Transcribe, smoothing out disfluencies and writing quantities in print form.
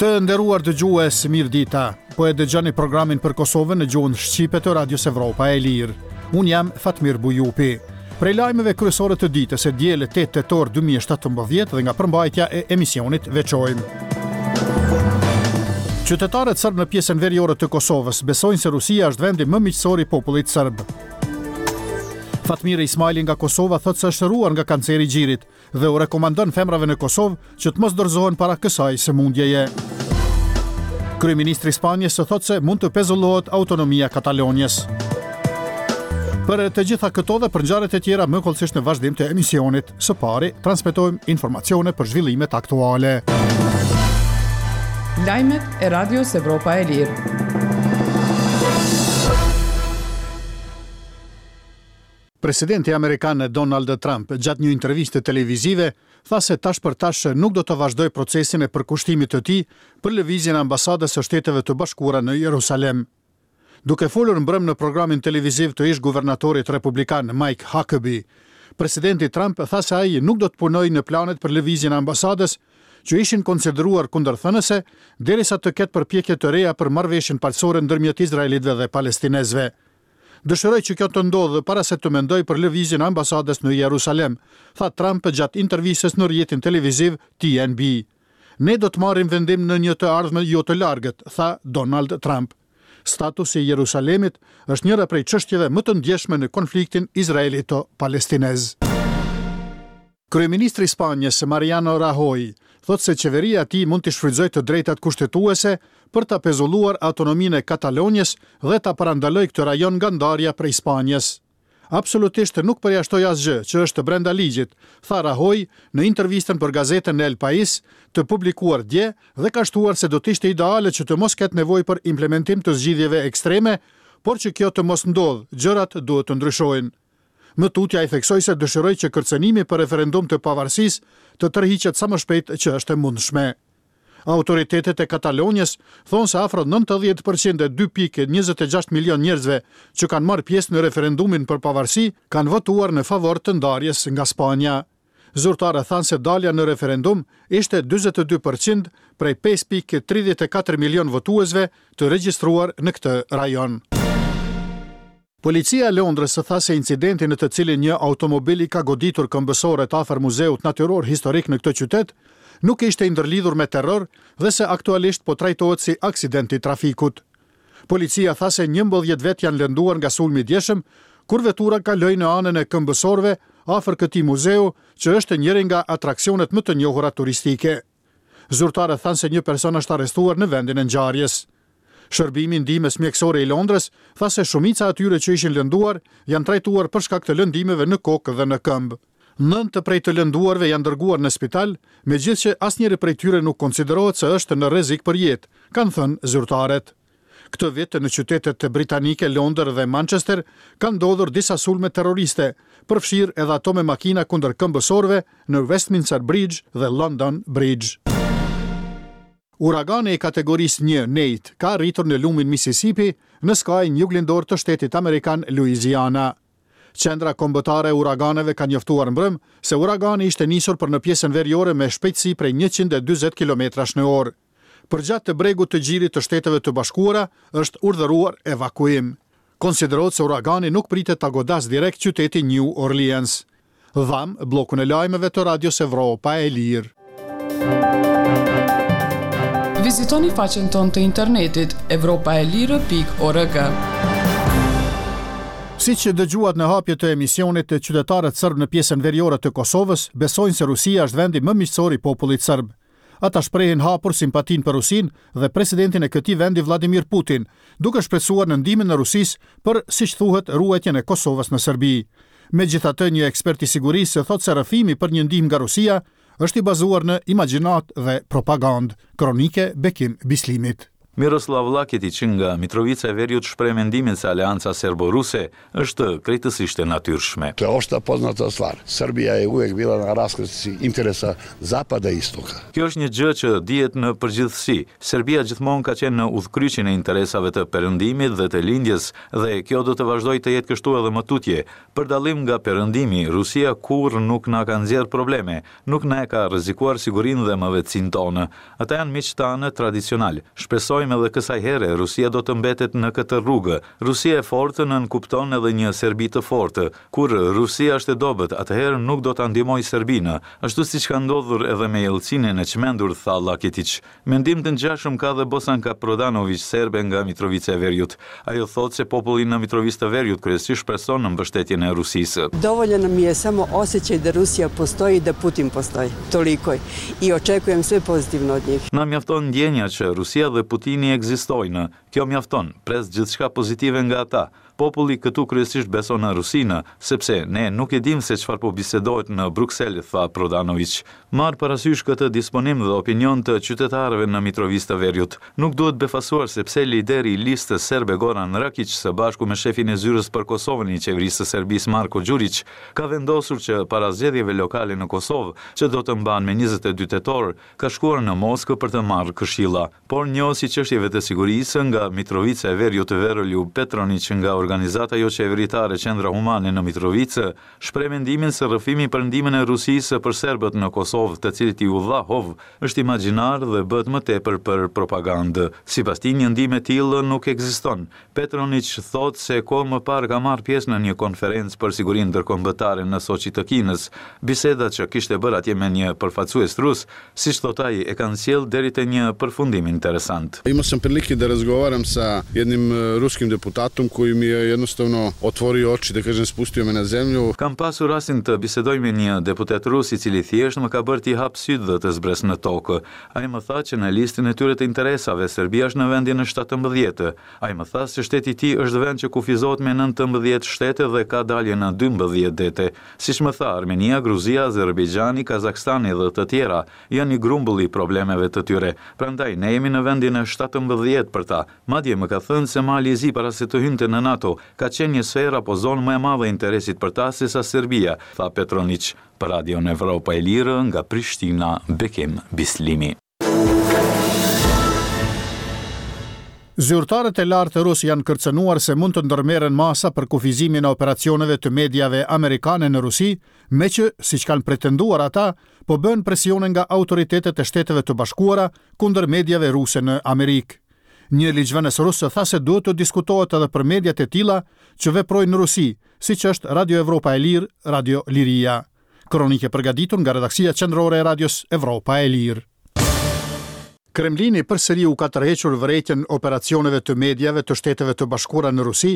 Të nderuar dëgjues, mirëdita. Po e dëgjoni programin për Kosovën në gjuhën shqipe të Radios Evropa e Lirë. Unë jam Fatmir Bujupi. Prej lajmeve kryesore të ditës së dielë 8 tetor 2017 dhe nga përmbajtja e emisionit veçojmë. Qytetarët sërbë në pjesën veriore të Kosovës besojnë se Rusia është vendi më miqësor i popullit sërb. Fatmire Ismajli nga Kosova thotë se është shëruar nga kanceri i gjirit. dhe u rekomandon femrave në Kosovë që të mos dorëzohen para kësaj sëmundjeje. Kryeministri i Spanjës thotë se mund të pezullohet autonomia e Katalonjës. Për të gjitha këto dhe për ngjarjet e tjera më hollësisht në vazhdim të emisionit, së pari transmetojmë informacione për zhvillimet aktuale. Lajmet e Radios Evropa e Lirë. Presidenti amerikan Donald Trump gjatë një interviste televizive tha se tash për tash nuk do të vazhdojë procesin e përkushtimit të tij për lëvizjen e ambasadës së Shteteve të Bashkuara në Jerusalem. Duke folur mbrëmë në programin televiziv të ish-guvernatorit republikan Mike Huckabee, presidenti Trump tha se ai nuk do të punojë në planet për lëvizjen e ambasadës që ishin konsideruar kundërthënëse derisa të ketë përpjekje të reja për marrëveshjen paqësore ndërmjet izraelitëve dhe palestinezëve. Dëshiroj që kjo të ndodhë para se të mendoj për lëvizjen e ambasadës në Jerusalem, tha Trump gjatë intervistës në rrjetin televiziv TNB. Ne do të marrim vendim në një të ardhme jo të largët, tha Donald Trump. Statusi i Jerusalemit është njëra prej çështjeve më të ndjeshme në konfliktin izraelito-palestinez. Kryeministri i Spanjës, Mariano Rajoy, thotë se qeveria e tij mund t'i shfrytëzojë të drejtat kushtetuese për ta pezulluar autonominë e Katalonjës dhe ta parandalojë këtë rajon nga ndarja prej Spanjës. Absolutisht nuk përjashtoj asgjë që është brenda ligjit, tha Rajoy në intervistën për gazetën El Pais, të publikuar dje dhe ka shtuar se do të ishte ideale që të mos ketë nevojë për implementim të zgjidhjeve ekstreme, por që kjo të mos ndodhë, gjërat duhet të ndryshojnë. Më tutje ai theksoi se dëshiroi që kërcënimi për referendum të pavarësisë të tërhiqet sa më shpejt që është e mundshme. Autoritetet e Katalonjës thonë se afro 90 për qind e 2.26 milionë njerëzve që kanë marrë pjesë në referendumin për pavarësi kanë votuar në favor të ndarjes nga Spanja. Zyrtarët thanë se dalja në referendum ishte 42 për qind prej 5.34 milionë votuesve të regjistruar në këtë rajon. Policia e Londrës tha se incidenti në të cilin një automobil i ka goditur këmbësorët afër Muzeut Natyror Historik në këtë qytet, nuk ishte i ndërlidhur me terror dhe se aktualisht po trajtohet si aksident i trafikut. Policia tha se 11 vetë janë lënduar nga sulmi i djeshëm, kur vetura kaloi në anën e këmbësorëve afër këtij muzeu, që është njëri nga atraksionet më të njohura turistike. Zyrtarët thanë se një person është arrestuar në vendin e ngjarjes. Shërbimi i Ndihmës Mjekësore i Londrës tha se shumica e atyre që ishin lënduar janë trajtuar për shkak të lëndimeve në kokë dhe në këmbë. Nëntë prej të lënduarve janë dërguar në spital, megjithëqë asnjëri prej tyre nuk konsiderohet se është në rrezik për jetë, kanë thënë zyrtarët. Këtë vit në qytetet britanike Londër dhe Manchester kanë ndodhur disa sulme terroriste, përfshirë edhe ato me makina kundër këmbësorëve në Westminster Bridge dhe London Bridge. Uragani i kategorisë një, Nate, ka arritur në lumin Mississippi, në skajin juglindor të shtetit amerikan Louisiana. Qendra Kombëtare e Uraganeve ka njoftuar mbrëmë se uragani ishte nisur për në pjesën veriore me shpejtësi prej 140 kilometrash në orë. Përgjatë bregut të gjirit të Shteteve të Bashkuara është urdhëruar evakuim. Konsiderohet se uragani nuk pritet ta godasë direkt qytetin New Orleans. Dhamë bllokun e lajmeve të Radios Evropa e Lirë. Vizitoni faqen tonë të internetit evropaelire.org. Siç dëgjuat në hapje të emisionit, qytetarët sërbë në pjesën veriore të Kosovës besojnë se Rusia është vendi më miqësor i popullit sërb. Ata shprehin hapur simpatinë për Rusinë dhe presidentin e këtij vendi Vladimir Putin, duke shpresuar në ndihmën e Rusisë për, siç thuhet, ruajtjen e Kosovës në Serbi. Megjithatë, një ekspert i sigurisë thotë se rrëfimi për një ndihmë nga Rusia është i bazuar në imagjinatë dhe propagandë. Kronikë Bekim Bislimit. Miroslav Laketiq nga Mitrovica e Veriut shpreh mendimin se aleanca serbo-ruse është krejtësisht e natyrshme. To je opšta poznata stvar. Srbija je uvek bila na raskrsnici interesa zapada i istoka. Kjo është një gjë që dihet në përgjithësi. Serbia gjithmonë ka qenë në udhëkryqin e interesave të Perëndimit dhe të Lindjes dhe kjo do të vazhdojë të jetë kështu edhe më tutje. Për dallim nga Perëndimi, Rusia kurrë nuk na ka nxjerrë probleme, nuk na e ka rrezikuar sigurinë dhe mëvetësinë tonë. Ata janë miqtë tanë tradicionalë. Shpresojmë edhe kësaj here Rusia do të mbetet në këtë rrugë. Rusia e fortë nënkupton edhe një Serbi të fortë. Kur Rusia është e dobët, atëherë nuk do ta ndihmojë Serbinë, ashtu siç ka ndodhur edhe me Jelcinin e çmendur, tha Laketiq. Mendim të ngjashëm ka dhe Bosanka Prodanoviq, serbe nga Mitrovica e Veriut. Ajo thotë se populli në Mitrovicë të Veriut kryesisht shpreson në mbështetjen e Rusisë. Dovoljan nam je samo osjećaj da Rusija postoji i da Putin postoji. Toliko. I očekujem sve pozitivno od njih. Na mjafton ndjenja që Rusia dhe Putini ekzistojnë. Kjo mjafton. Pres gjithçka pozitive nga ata. Populli këtu kryesisht beson në Rusinë, sepse ne nuk e dimë se çfarë po bisedohet në Bruksel, tha Prodanoviq. Marrë parasysh këtë disponim dhe opinion të qytetarëve në Mitrovicë të Veriut, nuk duhet befasuar se pse lideri i Listës Serbe Goran Rakiq së bashku me shefin e Zyrës për Kosovën i Qeverisë së Serbisë Marko Gjuriq ka vendosur që para zgjedhjeve lokale në Kosovë, që do të mbahen me 22 tetor, ka shkuar në Moskë për të marrë këshilla. Por njohës i çështjeve të sigurisë nga Mitrovica e Veriut Veroljub Petroniq nga organizata joqeveritare Qendra Humane në Mitrovicë shpreh mendimin se rrëfimi për ndihmën e Rusisë për serbët në Kosovë të cilit iu dha hov është imagjinar dhe bëhet më tepër për propagandë. Sipas tij një ndihmë e tillë nuk ekziston. Petroniq thotë se kohë më parë ka marrë pjesë në një konferencë për sigurinë ndërkombëtare në Soçi të Kinës. Biseda që kishte bërë atje me një përfaqësues rus, siç thotë ai, e kanë sjellë deri te një përfundim interesant. Imao sam prilike da razgovaram sa jednim ruskim deputatom koji mi je jednostavno otvorio oči, da kažem, spustio me na zemlju. Kam pasur rastin të bisedoj me një deputet rus i cili thjesht më ka bërë t'i hap sytë dhe të zbres në tokë. Ai më tha që në listën e tyre të interesave, Serbia është në vendin e 17. Ai më tha se shteti i tij është vend që kufizohet me 19 shtete dhe ka dalje në 12 dete. Siç më tha, Armenia, Gruzia, Azerbejxhani, Kazakstani dhe të tjera janë një grumbull i problemeve të tyre. Prandaj, ne jemi në vendin e 17 për ta. Madje më ka thënë se Mali i Zi para se të hynte në NATO, ka qenë një sferë apo zonë më e madhe e interesit për ta sesa Serbia, tha Petroniq. Për Radion Evropa e Lirë nga Prishtina, Bekim Bislimi. Zyrtarët e lartë rusë janë kërcënuar se mund të ndërmerren masa për kufizimin e operacioneve të mediave amerikane në Rusi, meqë, siç kanë pretenduar ata, po bëhen presione nga autoritetet e Shteteve të Bashkuara kundër mediave ruse në Amerikë. Një ligjvënës rus tha se duhet të diskutohet edhe për mediat e tilla që veprojnë në Rusi, siç është Radio Evropa e Lirë, Radio Liria. Kronikë e përgatitur nga redaksia qendrore e Radios Evropa e Lirë. Kremlini përsëri u ka tërhequr vërejtjen operacioneve të mediave të Shteteve të Bashkuara në Rusi.